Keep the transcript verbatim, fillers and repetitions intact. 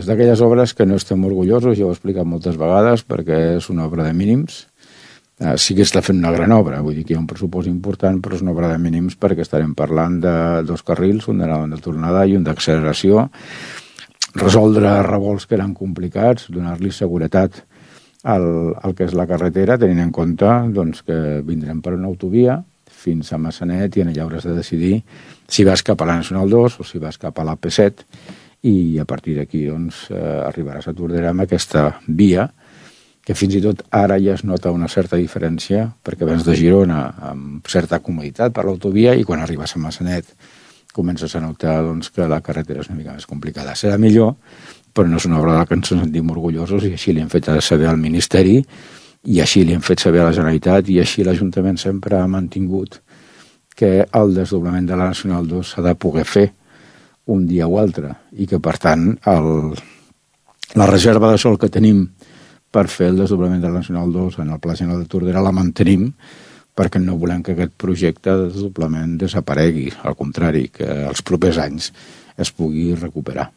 És d'aquelles obres que no estem orgullosos, ja ho he explicat moltes vegades, perquè és una obra de mínims. Eh, sí que està fent una gran obra, vull dir que hi ha un pressupost important, però és una obra de mínims perquè estarem parlant de dos carrils, un d'anada de tornada i un d'acceleració, resoldre revolts que eren complicats, donar-li seguretat al, al que és la carretera, tenint en compte doncs, que vindrem per una autovia fins a Massanet i allà hauràs de decidir si vas cap a la Nacional dos o si vas cap a la P set, i a partir d'aquí doncs, eh, arribaràs a Tordera amb aquesta via, que fins i tot ara ja es nota una certa diferència, perquè vens de Girona amb certa comoditat per l'autovia i quan arribes a Massanet comences a notar doncs, que la carretera és una mica més complicada. Serà millor, però no és una obra de la que ens sentim orgullosos, i així li hem fet saber al Ministeri, i així li hem fet saber a la Generalitat, i així l'Ajuntament sempre ha mantingut que el desdoblament de la Nacional dos s'ha de poder fer un dia o altre, i que per tant el, la reserva de sòl que tenim per fer el desdoblament de la Nacional dos en el Pla General de Tordera la mantenim, perquè no volem que aquest projecte de desdoblament desaparegui, al contrari, que els propers anys es pugui recuperar.